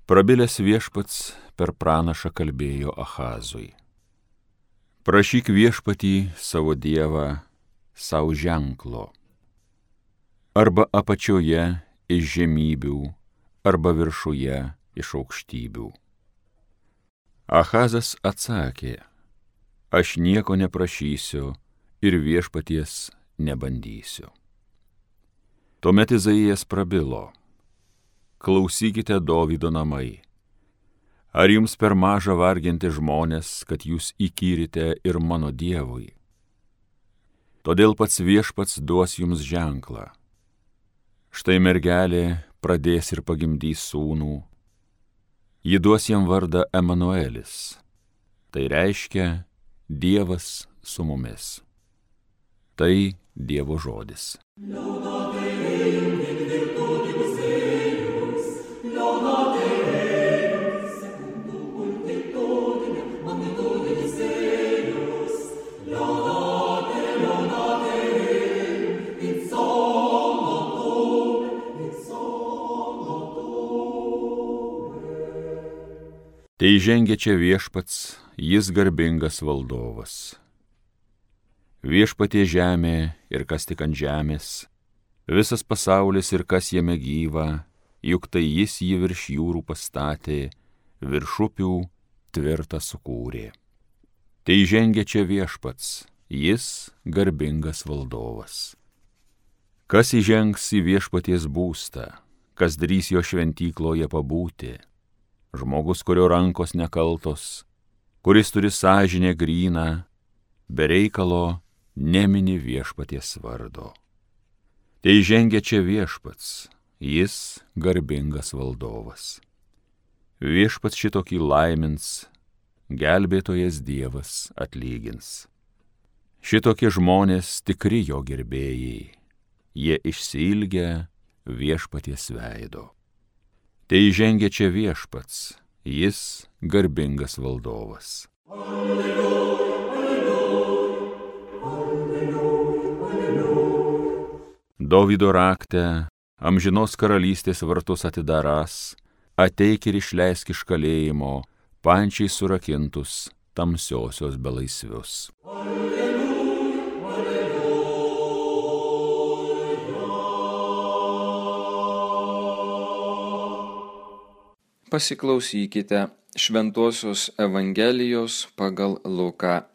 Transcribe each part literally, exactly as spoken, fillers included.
Prabilęs viešpats per pranašą kalbėjo Achazui. Prašyk viešpatį savo dievą savo ženklo, arba apačioje iš žemybių, arba viršuje iš aukštybių. Achazas atsakė, aš nieko neprašysiu ir viešpaties nebandysiu. Tuomet Izaijas prabilo, klausykite Dovydo namai. Ar jums per maža varginti žmonės, kad jūs įkyrite ir mano dievui? Todėl pats viešpats duos jums ženklą. Štai mergelė pradės ir pagimdys sūnų. Ji duos jam vardą Emanuelis. Tai reiškia Dievas su mumis. Tai Dievo žodis. Tai žengia čia viešpats, jis garbingas valdovas. Viešpatie žemė ir kas tik ant žemės, visas pasaulis ir kas jame gyva, juk tai jis jį virš jūrų pastatė, virš upių tvirtą sukūrė. Tai žengia čia viešpats, jis garbingas valdovas. Kas įžengs į viešpaties būstą, kas drįs jo šventykloje pabūti? Žmogus, kurio rankos nekaltos, kuris turi sąžinę gryną, be reikalo nemini viešpaties vardo. Tai žengia čia viešpats, jis garbingas valdovas. Viešpats šitokį laimins, gelbėtojas Dievas atlygins. Šitokie žmonės tikri jo gerbėjai, jie išsiilgia viešpaties veido. Tai žengia čia viešpats, jis garbingas valdovas. Alleluja, alleluja, alleluja, alleluja. Dovydo rakte, amžinos karalystės vartus atidarąs, ateik ir išleisk iš kalėjimo, pančiai surakintus tamsiosios belaisvius. Alleluja, alleluja. Pasiklausykite Šventosios Evangelijos pagal Luką.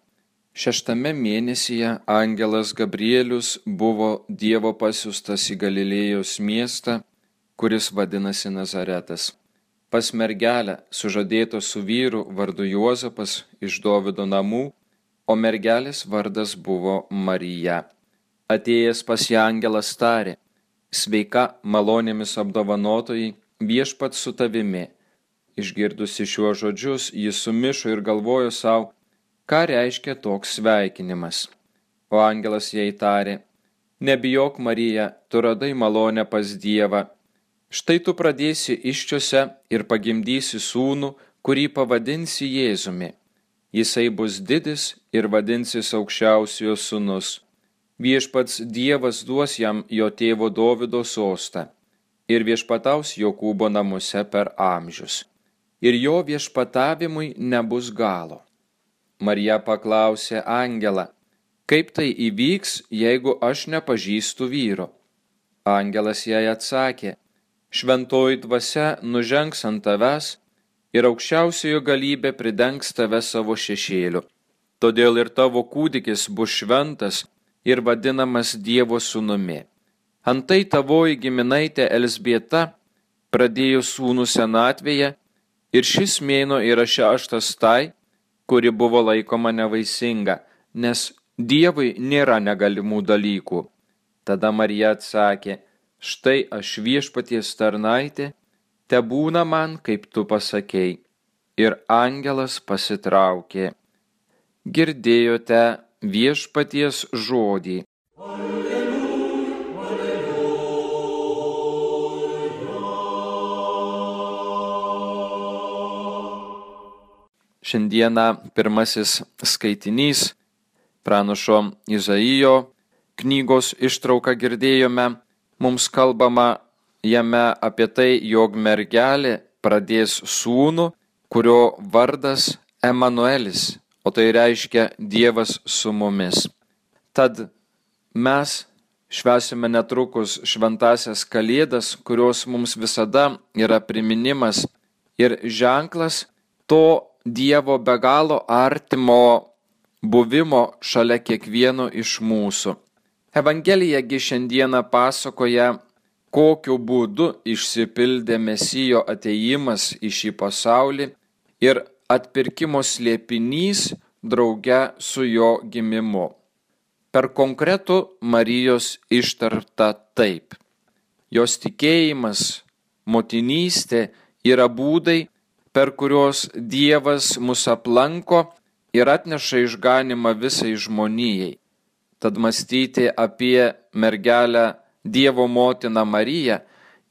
Šeštame mėnesyje angelas Gabrielius buvo Dievo pasiųstas į Galilėjos miestą, kuris vadinasi Nazaretas, pas mergelę sužadėto su vyru vardu Juozapas iš Dovydo namų, o mergelės vardas buvo Marija. Atėjęs pas ją angelas tarė, sveika malonėmis apdovanotoji, viešpats su tavimi. Išgirdusi šiuos žodžius, jis sumišo ir galvojo savo, ką reiškia toks sveikinimas. O angelas jai tarė, nebijok Marija, tu radai malonę pas Dievą. Štai tu pradėsi iščiose ir pagimdysi sūnų, kurį pavadinsi Jėzumi. Jisai bus didis ir vadinsis aukščiausiojo sūnus. Viešpats Dievas duos jam jo tėvo Dovydo sostą ir viešpataus Jokūbo namuose per amžius. Ir jo viešpatavimui nebus galo. Marija paklausė angelą, kaip tai įvyks, jeigu aš nepažįstu vyro? Angelas jai atsakė, šventoji dvasia nužengs ant tavęs ir aukščiausiojo galybė pridengs tave savo šešėliu. Todėl ir tavo kūdikis bus šventas ir vadinamas Dievo sūnumi. Antai tavoji giminaitė Elzbieta pradėjo sūnų senatvėje, ir šis mėnuo yra šeštas tai, kuri buvo laikoma nevaisinga, nes Dievui nėra negalimų dalykų. Tada Marija atsakė, štai aš viešpaties tarnaitė, tebūna man, kaip tu pasakei. Ir angelas pasitraukė. Girdėjote viešpaties žodį. Šiandieną pirmasis skaitinys, pranašo Izaijo knygos ištrauką girdėjome, mums kalbama jame apie tai, jog mergelė pradės sūnų, kurio vardas Emanuelis, o tai reiškia Dievas su mumis. Tad mes švęsime netrukus šventąsias Kalėdas, kurios mums visada yra priminimas ir ženklas to Dievo be galo artimo buvimo šalia kiekvieno iš mūsų. Evangelijagi šiandieną pasakoja, kokiu būdu išsipildė Mesijo atėjimas į šį pasaulį ir atpirkimo slėpinys drauge su jo gimimu. Per konkretų Marijos ištarta taip. Jos tikėjimas, motinystė yra būdai, per kuriuos Dievas mus aplanko ir atneša išganymą visai žmonijai. Tad mąstyti apie mergelę Dievo motiną Mariją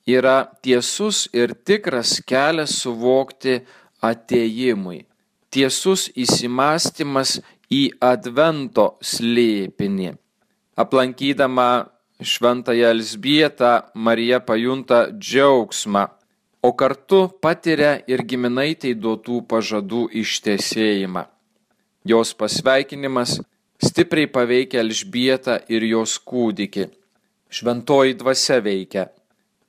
yra tiesus ir tikras kelias suvokti atėjimui. Tiesus įsimąstymas į Advento slėpinį. Aplankydama šventąją Elzbietą, Marija pajunta džiaugsmą, o kartu patiria ir giminaitei duotų pažadų ištesėjimą. Jos pasveikinimas stipriai paveikia Elžbietą ir jos kūdikį. Šventoji dvasia veikia.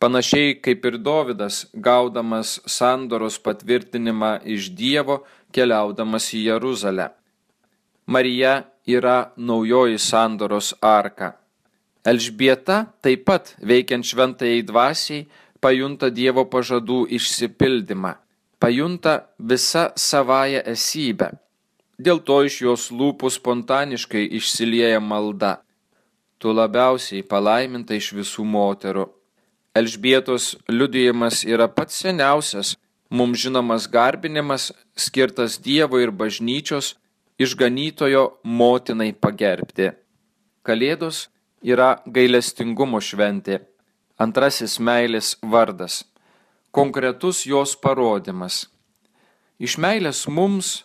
Panašiai kaip ir Dovydas, gaudamas sandoros patvirtinimą iš Dievo, keliaudamas į Jeruzalę. Marija yra naujoji sandoros arka. Elžbieta taip pat, veikiant šventajai dvasiai, pajunta Dievo pažadų išsipildymą, pajunta visą savąją esybę. Dėl to iš jos lūpų spontaniškai išsilieja malda. Tu labiausiai palaiminta iš visų moterų. Elžbietos liudijimas yra pats seniausias, mums žinomas garbinimas, skirtas Dievo ir bažnyčios išganytojo motinai pagerbti. Kalėdos yra gailestingumo šventė, antrasis meilės vardas, konkretus jos parodymas. Iš meilės mums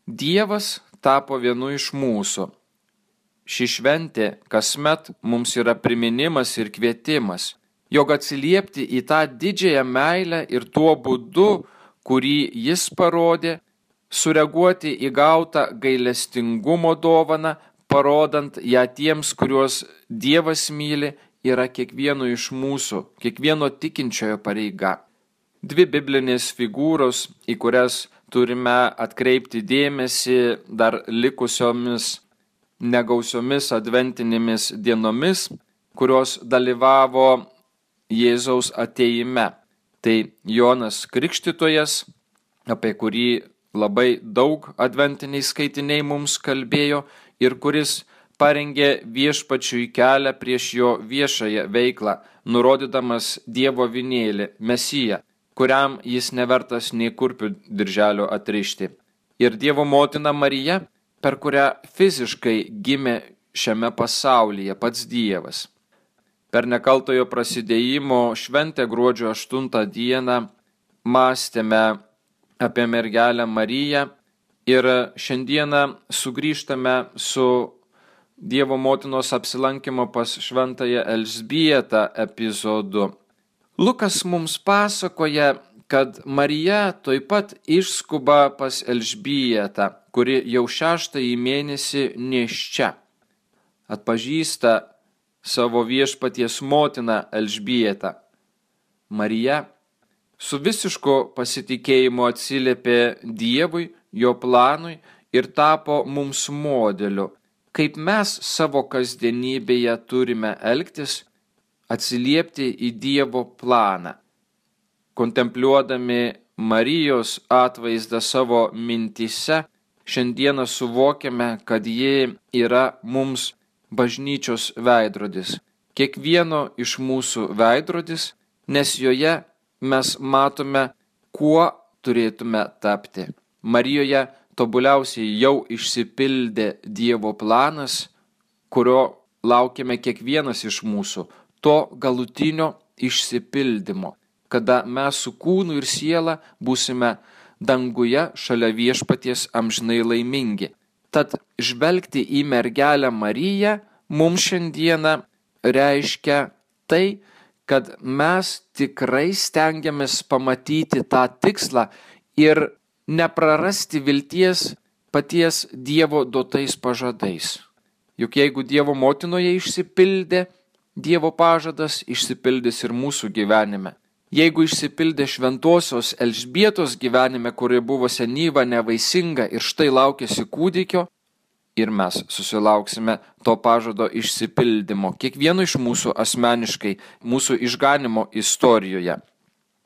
Dievas tapo vienu iš mūsų. Ši šventė kasmet mums yra priminimas ir kvietimas, jog atsiliepti į tą didžiąją meilę ir tuo būdu, kurį jis parodė, sureaguoti į gautą gailestingumo dovaną, parodant ją tiems, kuriuos Dievas myli, yra kiekvieno iš mūsų, kiekvieno tikinčiojo pareiga. Dvi biblinės figūros, į kurias turime atkreipti dėmesį dar likusiomis negausiomis adventinėmis dienomis, kurios dalyvavo Jėzaus atėjime. Tai Jonas Krikštytojas, apie kurį labai daug adventiniai skaitiniai mums kalbėjo ir kuris parengė viešpačiui kelią prieš jo viešąją veiklą, nurodydamas Dievo avinėlį, Mesiją, kuriam jis nevertas nei kurpių dirželio atrišti. Ir Dievo motina Marija, per kurią fiziškai gimė šiame pasaulyje pats Dievas. Per nekaltojo prasidėjimo šventę gruodžio aštuntą dieną mąstėme apie mergelę Mariją ir šiandieną sugrįžtame su Dievo motinos apsilankimo pas šventąją Elzbietą epizodu. Lukas mums pasakoja, kad Marija tuoj pat išskuba pas Elžbietą, kuri jau šeštąjį mėnesį nėščia. Atpažįsta savo viešpaties motiną Elžbietą. Marija su visišku pasitikėjimu atsiliepė Dievui, jo planui ir tapo mums modeliu, kaip mes savo kasdienybėje turime elgtis, atsiliepti į Dievo planą. Kontempliuodami Marijos atvaizdą savo mintyse, šiandieną suvokiame, kad ji yra mums bažnyčios veidrodis. Kiekvieno iš mūsų veidrodis, nes joje mes matome, kuo turėtume tapti. Marijoje tobuliausiai jau išsipildė Dievo planas, kurio laukiame kiekvienas iš mūsų, to galutinio išsipildymo, kada mes su kūnu ir siela būsime danguje šalia viešpaties amžinai laimingi. Tad žvelgti į mergelę Mariją mums šiandieną reiškia tai, kad mes tikrai stengiamės pamatyti tą tikslą ir neprarasti vilties paties Dievo duotais pažadais. Juk jeigu Dievo motinoje išsipildė Dievo pažadas, išsipildys ir mūsų gyvenime. Jeigu išsipildė šventosios Elžbietos gyvenime, kuri buvo senyva, nevaisinga ir štai laukėsi kūdikio, ir mes susilauksime to pažado išsipildymo, kiekvieno iš mūsų asmeniškai, mūsų išganimo istorijoje.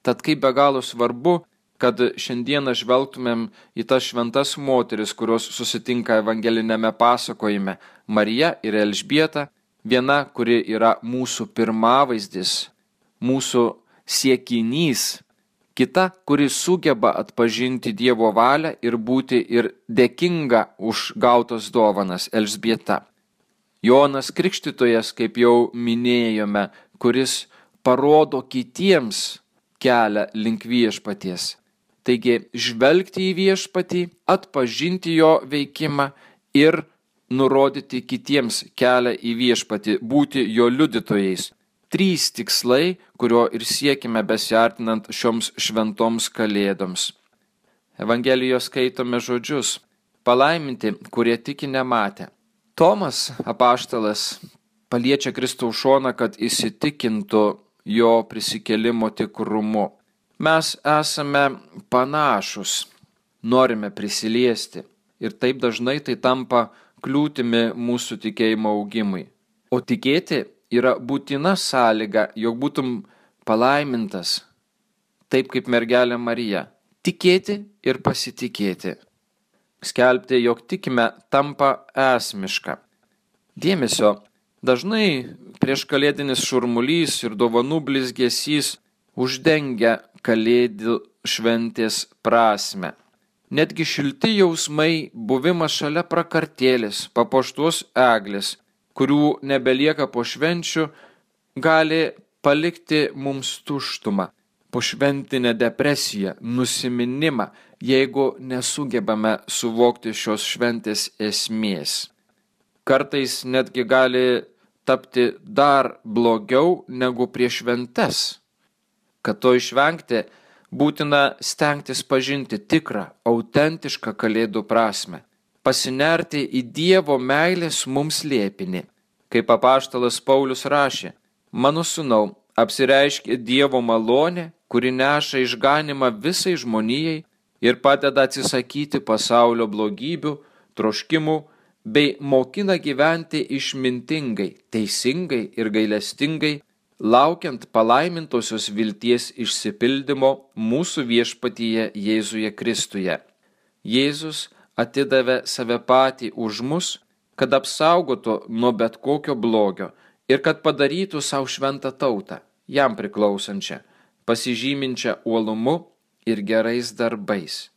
Tad kaip be galo svarbu, kad šiandieną žvelgtumėm į tas šventas moteris, kurios susitinka evangelinėme pasakojime, Marija ir Elžbieta, viena, kuri yra mūsų pirmavaizdis, mūsų siekinys, kita, kuri sugeba atpažinti Dievo valią ir būti ir dėkinga už gautas dovanas, Elžbieta. Jonas Krikštytojas, kaip jau minėjome, kuris parodo kitiems kelią link viešpaties. Taigi, žvelgti į viešpatį, atpažinti jo veikimą ir nurodyti kitiems kelią į viešpatį, būti jo liudytojais. Trys tikslai, kurio ir siekime besiartinant šioms šventoms kalėdoms. Evangelijos skaitome žodžius: palaiminti, kurie tiki nematę. Tomas, apaštalas, paliečia Kristaus šoną, kad įsitikintų jo prisikėlimo tikrumu. Mes esame panašus, norime prisiliesti ir taip dažnai tai tampa kliūtimi mūsų tikėjimo augimui. O tikėti yra būtina sąlyga, jog būtum palaimintas, taip kaip mergelė Marija. Tikėti ir pasitikėti. Skelbti, jog tikime, tampa esmiška. Dėmesio, dažnai prieš kalėdinis šurmulys ir dovanų blizgesys uždengia kalėdų šventės prasmę. Netgi šilti jausmai, buvimas šalia prakartėlės, papuoštos eglės, kurių nebelieka po švenčių, gali palikti mums tuštumą, pošventinę depresiją, nusiminimą, jeigu nesugebame suvokti šios šventės esmės. Kartais netgi gali tapti dar blogiau negu prieš šventes. Kad to išvengti, būtina stengtis pažinti tikrą, autentišką kalėdų prasmę, pasinerti į Dievo meilės mums slėpinį. Kaip apaštalas Paulius rašė: mano sūnau, apsireiškė Dievo malonė, kuri neša išganimą visai žmonijai ir padeda atsisakyti pasaulio blogybių, troškimų, bei mokina gyventi išmintingai, teisingai ir gailestingai, laukiant palaimintosios vilties išsipildymo mūsų viešpatyje Jėzuje Kristuje. Jėzus atidavė save patį už mus, kad apsaugotų nuo bet kokio blogio ir kad padarytų savo šventą tautą, jam priklausančią, pasižyminčią uolumu ir gerais darbais.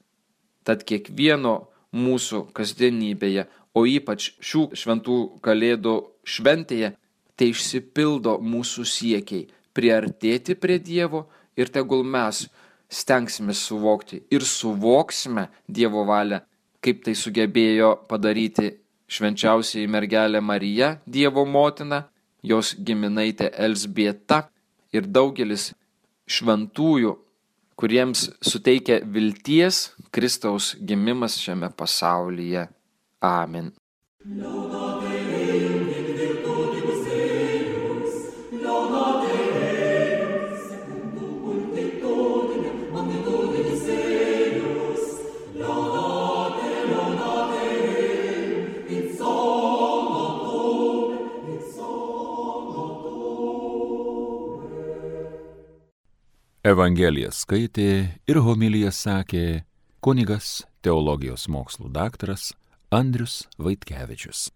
Tad kiekvieno mūsų kasdienybėje, o ypač šių šventų kalėdų šventėje, tai išsipildo mūsų siekiai priartėti prie Dievo ir tegul mes stengsime suvokti ir suvoksime Dievo valią, kaip tai sugebėjo padaryti švenčiausiai mergelė Marija, Dievo motina, jos giminaitė Elžbieta ir daugelis šventųjų, kuriems suteikia vilties Kristaus gimimas šiame pasaulyje. Amen. Evangeliją skaitė ir homiliją sakė kunigas, teologijos mokslų daktaras Andrius Vaitkevičius.